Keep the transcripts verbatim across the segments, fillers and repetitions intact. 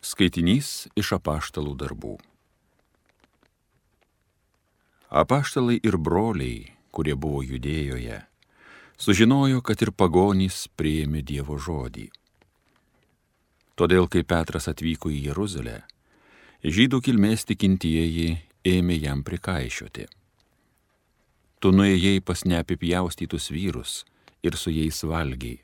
Skaitinys iš apaštalų darbų. Apaštalai ir broliai, kurie buvo Judėjoje, sužinojo, kad ir pagonys priėmė Dievo žodį. Todėl, kai Petras atvyko į Jeruzalę, žydų kilmės tikintieji ėmė jam prikaišioti. Tu nuėjai pas neapipjaustytus vyrus ir su jais valgiai.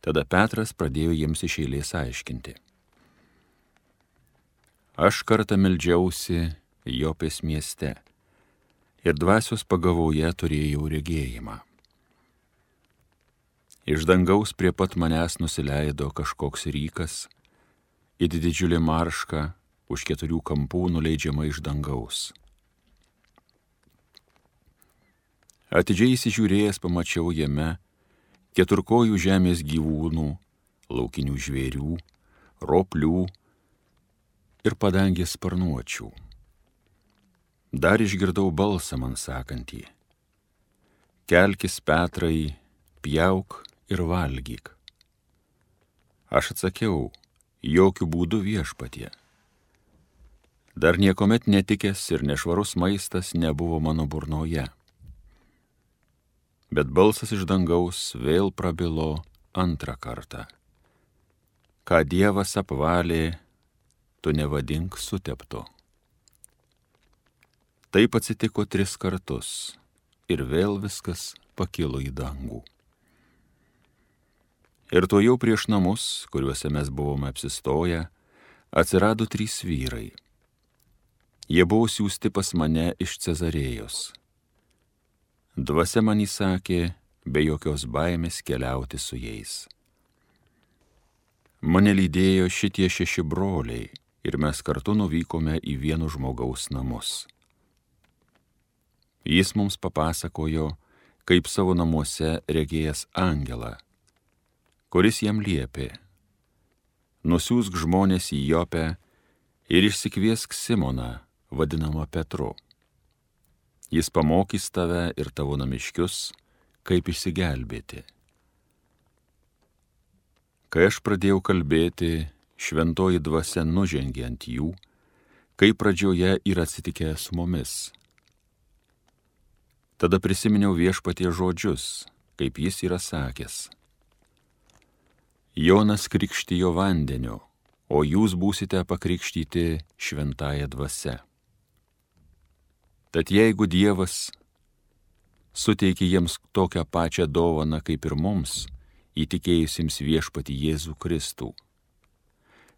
Tada Petras pradėjo jiems iš eilės aiškinti. Aš kartą meldžiausi Jopės mieste ir dvasios pagavoje turėjau regėjimą. Iš dangaus prie pat manęs nusileido kažkoks rykas, it didžiulė marška už keturių kampų nuleidžiama iš dangaus. Atidžiai įsižiūrėjęs pamačiau jame keturkojų žemės gyvūnų, laukinių žvėrių, roplių ir padangės sparnuočių. Dar išgirdau balsą man sakantį: kelkis, Petrai, pjauk ir valgyk. Aš atsakiau: jokių būdų, viešpatie. Dar niekomet netikęs ir nešvarus maistas nebuvo mano burnoje. Bet balsas iš dangaus vėl prabilo antrą kartą: ką Dievas apvalė, tu nevadink suteptu. Taip atsitiko tris kartus ir vėl viskas pakilo į dangų. Ir to jau prieš namus, kuriuose mes buvome apsistoję, atsirado trys vyrai. Jie buvo siųsti pas mane iš Cezarėjos. Dvasia man įsakė be jokios baimės keliauti su jais. Mane lydėjo šitie šeši broliai ir mes kartu nuvykome į vieno žmogaus namus. Jis mums papasakojo, kaip savo namuose regėjęs angelą, kuris jam liepė: nusiųsk žmonės į Jopę ir išsikviesk Simoną, vadinamą Petru. Jis pamokys tave ir tavo namiškius, kaip išsigelbėti. Kai aš pradėjau kalbėti, šventoji dvasia nužengė ant jų, kaip pradžioje yra atsitikę su mumis. Tada prisiminiau Viešpaties žodžius, kaip jis yra sakęs: Jonas krikštijo vandeniu, o jūs būsite pakrikštyti šventąja dvasia. Tad jeigu Dievas suteikė jiems tokią pačią dovaną kaip ir mums, įtikėjusiems Viešpatį Jėzų Kristų,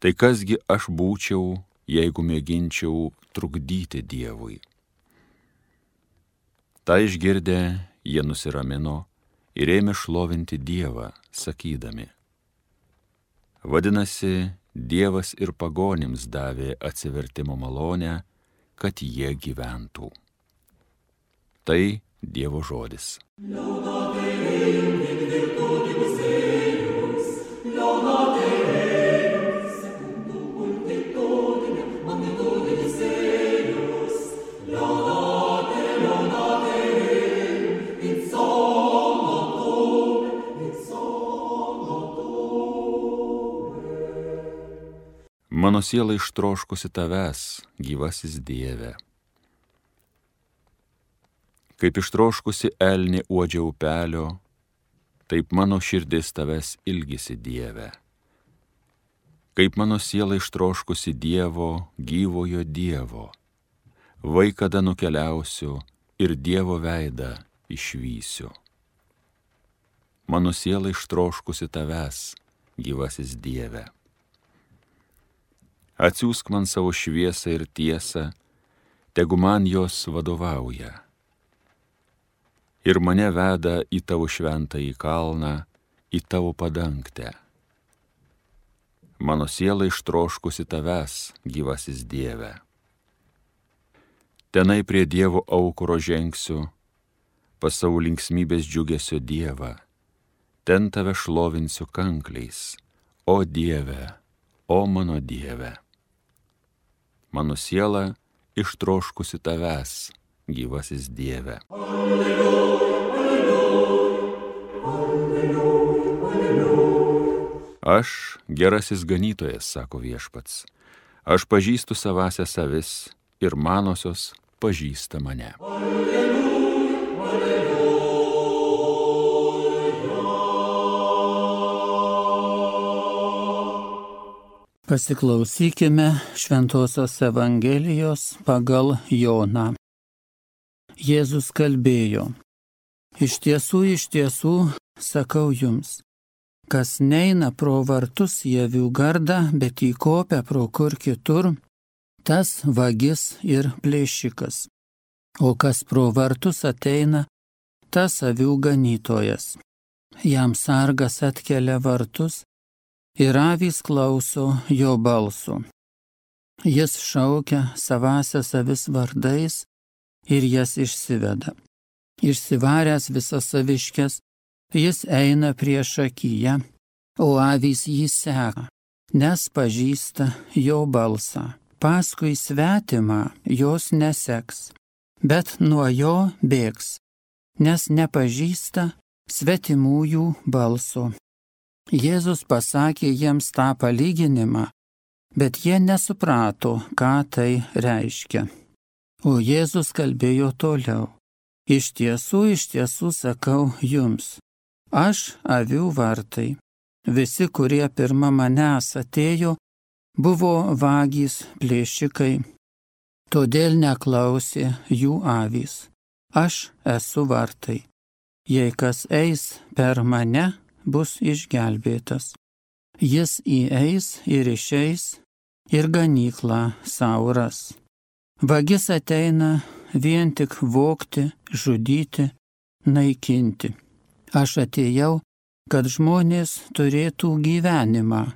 tai kasgi aš būčiau, jeigu mėginčiau trukdyti Dievui? Ta išgirdę, jie nusiramino ir ėmė šlovinti Dievą, sakydami: vadinasi, Dievas ir pagonims davė atsivertimo malonę, kad jie gyventų. Tai Dievo žodis. Mano siela ištroškusi tavęs, gyvasis Dieve. Kaip ištroškusi elnė uodžia upelio, taip mano širdis tavęs ilgisi, Dieve. Kaip mano siela ištroškusi Dievo, gyvojo Dievo, vai kada nukeliausiu ir Dievo veidą išvysiu. Mano siela ištroškusi tavęs, gyvasis Dieve. Atsiųsk man savo šviesą ir tiesą, tegu man jos vadovauja. Ir mane veda į tavo šventąjį kalną, į tavo padangtę. Mano siela ištroškusi tavęs, gyvasis Dieve. Tenai prie Dievo aukuro žengsiu, pas savo linksmybės džiugesio Dievą. Ten tave šlovinsiu kankliais, o Dieve, o mano Dieve. Mano siela ištroškusi tavęs, gyvasis Dieve. Alleluja, alleluja, alleluja, Aš gerasis ganytojas, sako Viešpats. Aš pažįstu savąsias avis ir manosios pažįsta mane. Alleluja, alleluja. Pasiklausykime Šventosios Evangelijos pagal Joną. Jėzus kalbėjo: Iš tiesų, iš tiesų, sakau jums, kas neina pro vartus į avių gardą, bet įkopia pro kur kitur, tas vagis ir plėšikas. O kas pro vartus ateina, tas avių ganytojas. Jam sargas atkelia vartus ir avys klauso jo balso. Jis šaukia savąsias avis vardais ir jas išsiveda. Išsivaręs visas aviškes, jis eina priešakyje, o avys jį seka, nes pažįsta jo balsą. Paskui svetimą jos neseks, bet nuo jo bėgs, nes nepažįsta svetimųjų balso. Jėzus pasakė jiems tą palyginimą, bet jie nesuprato, ką tai reiškia. O Jėzus kalbėjo toliau: Iš tiesų, iš tiesų sakau jums, aš avių vartai. Visi, kurie pirma manęs atėjo, buvo vagys, plėšikai, todėl neklausė jų avys. Aš esu vartai. Jei kas eis per mane, bus išgelbėtas. Jis įeis ir išeis ir ganyklą sau ras. Vagis ateina vien tik vogti, žudyti, naikinti. Aš atėjau, kad žmonės turėtų gyvenimą,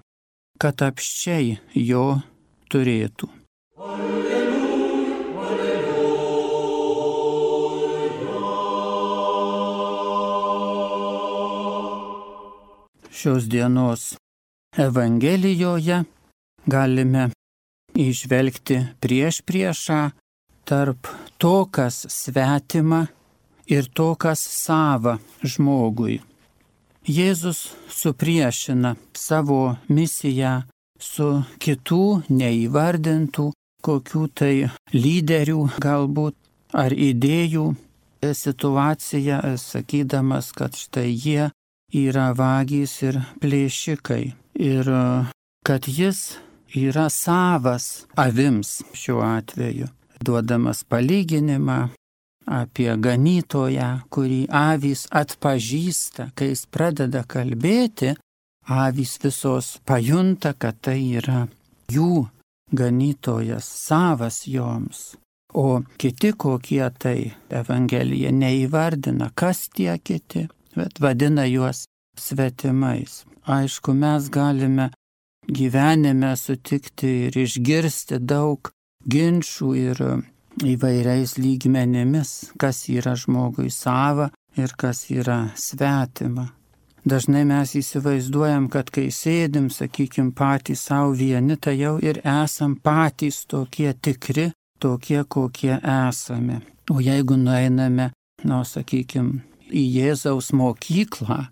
kad apsčiai jo turėtų. Alleluja, alleluja. Šios dienos Evangelijoje galime įžvelgti priešpriešą tarp to, kas svetima, ir to, kas sava žmogui. Jėzus supriešina savo misiją su kitų neįvardintų, kokių tai lyderių galbūt ar idėjų situacija, sakydamas, kad štai jie yra vagys ir plėšikai ir kad jis yra savas avims šiuo atveju, duodamas palyginimą apie ganytoją, kurį avys atpažįsta. Kai jis pradeda kalbėti, avys visos pajunta, kad tai yra jų ganytojas, savas joms. O kiti kokie tai Evangelija neįvardina, kas tie kiti, bet vadina juos svetimais. Aišku, mes galime gyvenime sutikti ir išgirsti daug ginčų ir įvairiais lygmenimis, kas yra žmogui sava ir kas yra svetima. Dažnai mes įsivaizduojam, kad kai sėdim, sakykim, patys savo vieni, tai jau ir esam patys tokie tikri, tokie, kokie esame. O jeigu nueiname, nu, sakykim, į Jėzaus mokyklą,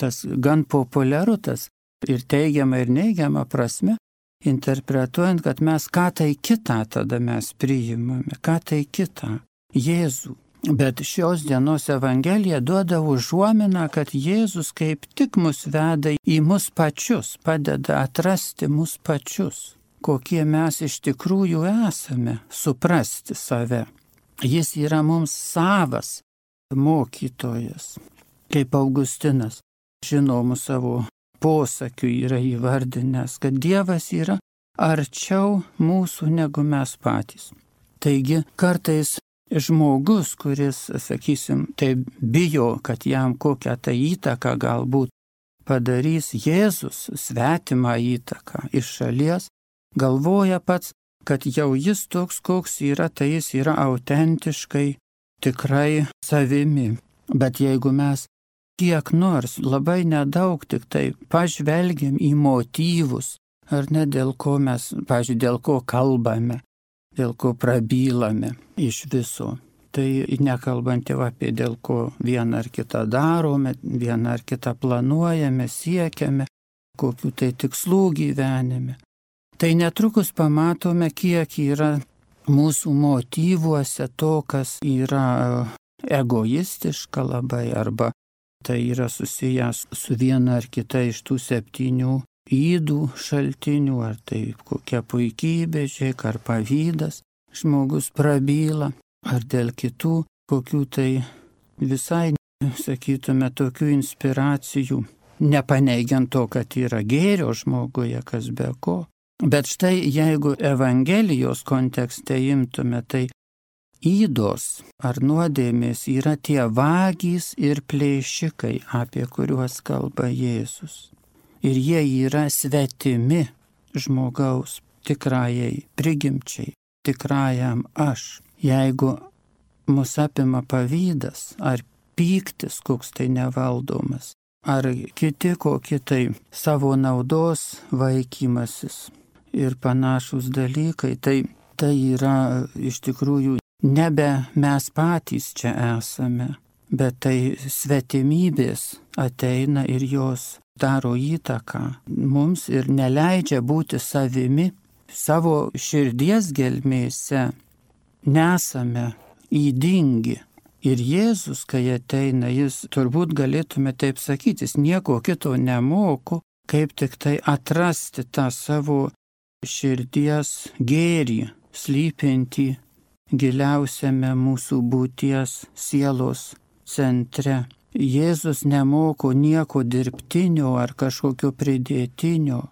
tas gan populiaru, tas ir teigiama ir neigiama prasme, interpretuojant, kad mes ką tai kitą tada mes priimame, ką tai kitą, Jėzų. Bet šios dienos Evangelija duoda užuominą, kad Jėzus kaip tik mus veda į mus pačius, padeda atrasti mus pačius, kokie mes iš tikrųjų esame, suprasti save. Jis yra mums savas mokytojas, kaip Augustinas žinomų savo posakių yra įvardinęs, kad Dievas yra arčiau mūsų negu mes patys. Taigi kartais žmogus, kuris, sakysim, tai bijo, kad jam kokią tą įtaką galbūt padarys Jėzus, svetimą įtaką iš šalies, galvoja pats, kad jau jis toks, koks yra, tai jis yra autentiškai, tikrai savimi. Bet jeigu mes kiek nors, labai nedaug tik tai pažvelgiam į motyvus, ar ne dėl ko mes, pavyzdžiui, dėl ko kalbame, dėl ko prabylame iš viso. Tai nekalbant jau apie dėl ko vieną ar kitą darome, vieną ar kitą planuojame, siekiame, kokių tai tikslų gyvenime. Tai netrukus pamatome, kiek yra mūsų motyvuose to, kas yra egoistiška labai, arba tai yra susijęs su viena ar kita iš tų septynių ydų šaltinių, ar tai kokia puikybė, žiūrėk, ar pavydas, žmogus prabyla, ar dėl kitų kokių tai visai, sakytume, tokių inspiracijų, nepaneigiant to, kad yra gėrio žmoguje, kas be ko. Bet štai jeigu Evangelijos kontekste imtume, tai ydos ar nuodėmės yra tie vagys ir plėšikai, apie kuriuos kalba Jėzus. Ir jie yra svetimi žmogaus tikrajai prigimčiai, tikrajam aš. Jeigu mus apima pavydas ar pyktis, koks tai nevaldomas, ar kiti kokie tai savo naudos vaikymasis ir panašus dalykai, tai, tai yra iš tikrųjų nebe mes patys čia esame, bet tai svetimybės ateina ir jos daro įtaką mums ir neleidžia būti savimi. Savo širdies gelmėse nesame ydingi. Ir Jėzus, kai ateina, jis turbūt galėtume taip sakyti, jis nieko kito nemoko, kaip tik tai atrasti tą savo širdies gėrį, slypintį giliausiame mūsų būties sielos centre. Jėzus nemoko nieko dirbtinio ar kažkokio pridėtinio.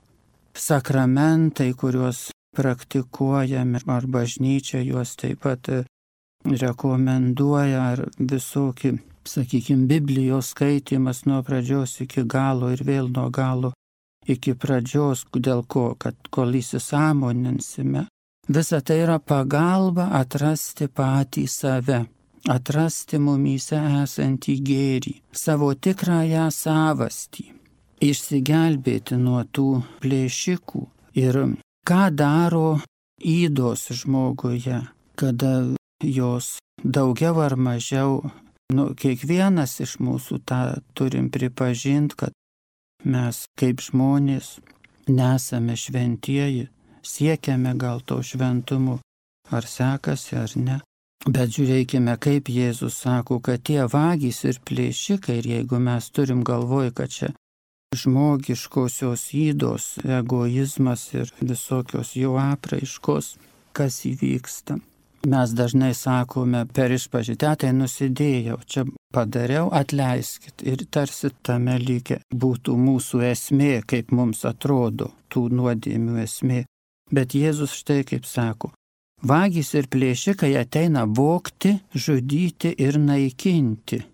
Sakramentai, kuriuos praktikuojame, ar bažnyčia juos taip pat rekomenduoja, ar visokie, sakykime, Biblijos skaitimas nuo pradžios iki galo ir vėl nuo galo iki pradžios, dėl ko, kad kol įsisąmoninsime. Visa tai yra pagalba atrasti patį save, atrasti mumyse esantį gėrį, savo tikrąją savastį, išsigelbėti nuo tų plėšikų. Ir ką daro ydos žmoguje, kada jos daugiau ar mažiau, nu, kiekvienas iš mūsų tą turim pripažinti, kad mes kaip žmonės nesame šventieji, siekiame gal to šventumu, ar sekasi ar ne. Bet žiūrėkime, kaip Jėzus sako, kad tie vagys ir plėšikai, ir jeigu mes turim galvoj, kad čia žmogiškosios ydos, egoizmas ir visokios jų apraiškos, kas įvyksta. Mes dažnai sakome per išpažintį, tai nusidėjau, čia padariau, atleiskit. Ir tarsi tame lygia būtų mūsų esmė, kaip mums atrodo, tų nuodėmių esmė. Bet Jėzus štai kaip sako, vagys ir plėšikai ateina vogti, žudyti ir naikinti.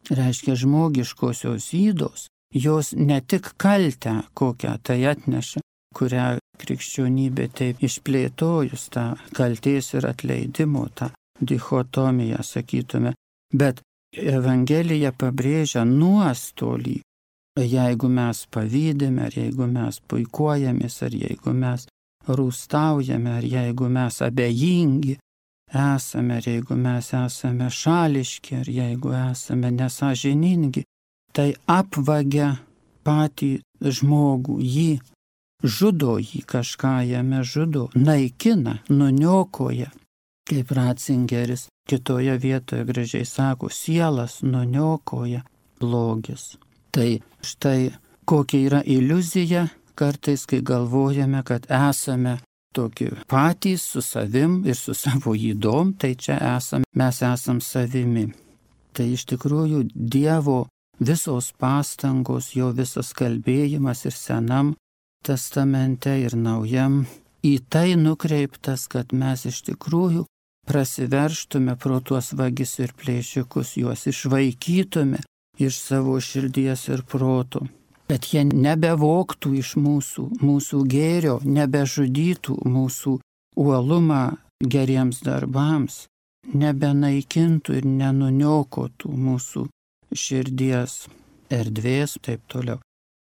Reiškia, žmogiškosios ydos, jos ne tik kaltę kokią tai atneša, kurią krikščionybė taip išplėtojus, tą kaltės ir atleidimo, tą dichotomiją, sakytume, bet Evangelija pabrėžia nuostolį, jeigu mes pavydime, ar jeigu mes puikuojamės, ar jeigu mes rūstaujame, ar jeigu mes abejingi esame, ar jeigu mes esame šališki, ar jeigu esame nesąžiningi, tai apvagia patį žmogų, jį žudo, jį kažką jame žudo, naikina, nuniokoja. Kaip Ratzingeris kitoje vietoje gražiai sako, sielas nuniokoja blogis. Tai štai kokia yra iliuzija kartais, kai galvojame, kad esame tokie patys su savim ir su savo ydom, tai čia esame, mes esam savimi. Tai iš tikrųjų Dievo visos pastangos, jo visas kalbėjimas ir Senam testamente ir Naujam į tai nukreiptas, kad mes iš tikrųjų prasiverštume pro tuos vagis ir plėšikus, juos išvaikytume iš savo širdies ir proto, kad jie nebevoktų iš mūsų, mūsų gėrio, nebežudytų mūsų uolumą geriems darbams, nebenaikintų ir nenuniokotų mūsų širdies erdvės, taip toliau.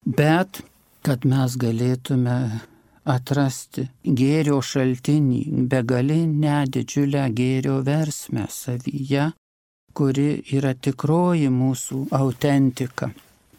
Bet kad mes galėtume atrasti gėrio šaltinį, begalinę didžiulę gėrio versmę savyje, kuri yra tikroji mūsų autentika,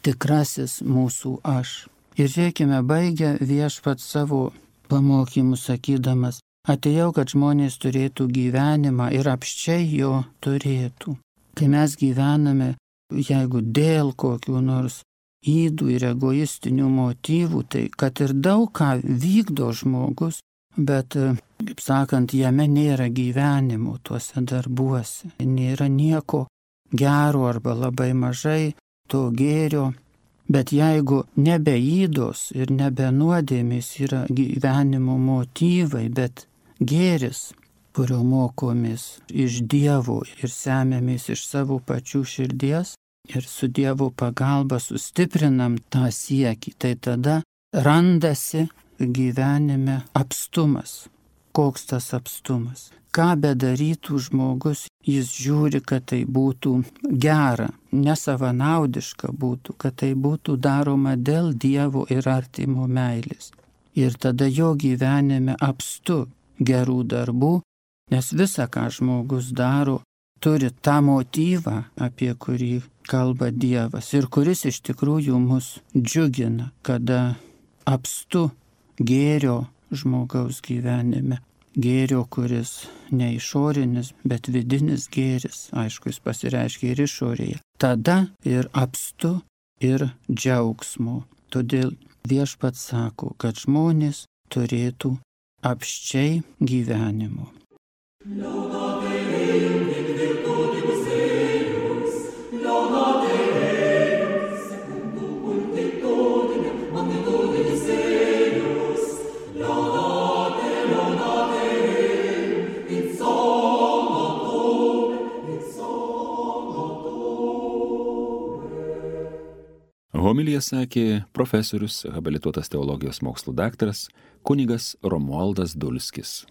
tikrasis mūsų aš. Ir žiūrėkime, baigia viešpats savo pamokymus sakydamas, atėjau, kad žmonės turėtų gyvenimą ir apsčiai jo turėtų. Kai mes gyvename, jeigu dėl kokių nors ydų ir egoistinių motyvų, tai kad ir daug ką vykdo žmogus, bet, kaip sakant, jame nėra gyvenimo tuose darbuose, nėra nieko gero arba labai mažai to gėrio, bet jeigu nebe įdos ir nebe nuodėmės yra gyvenimo motyvai, bet gėris, kurio mokomės iš Dievo ir semiamės iš savo pačių širdies ir su Dievo pagalba sustiprinam tą siekį, tai tada randasi gyvenime apstumas. Koks tas apstumas? Ką bedarytų žmogus, jis žiūri, kad tai būtų gera, nesavanaudiška būtų, kad tai būtų daroma dėl Dievo ir artimo meilės. Ir tada jo gyvenime apstu gerų darbų, nes visa, ką žmogus daro, turi tą motyvą, apie kurį kalba Dievas ir kuris iš tikrųjų mus džiugina, kada apstu gėrio žmogaus gyvenime. Gėrio, kuris ne išorinis, bet vidinis gėris, aišku, jis pasireiškia ir išorėje. Tada ir apstu, ir džiaugsmo. Todėl viešpats sako, kad žmonės turėtų apsčiai gyvenimo. Homiliją sakė profesorius, habilituotas teologijos mokslų daktaras, kunigas Romualdas Dulskis.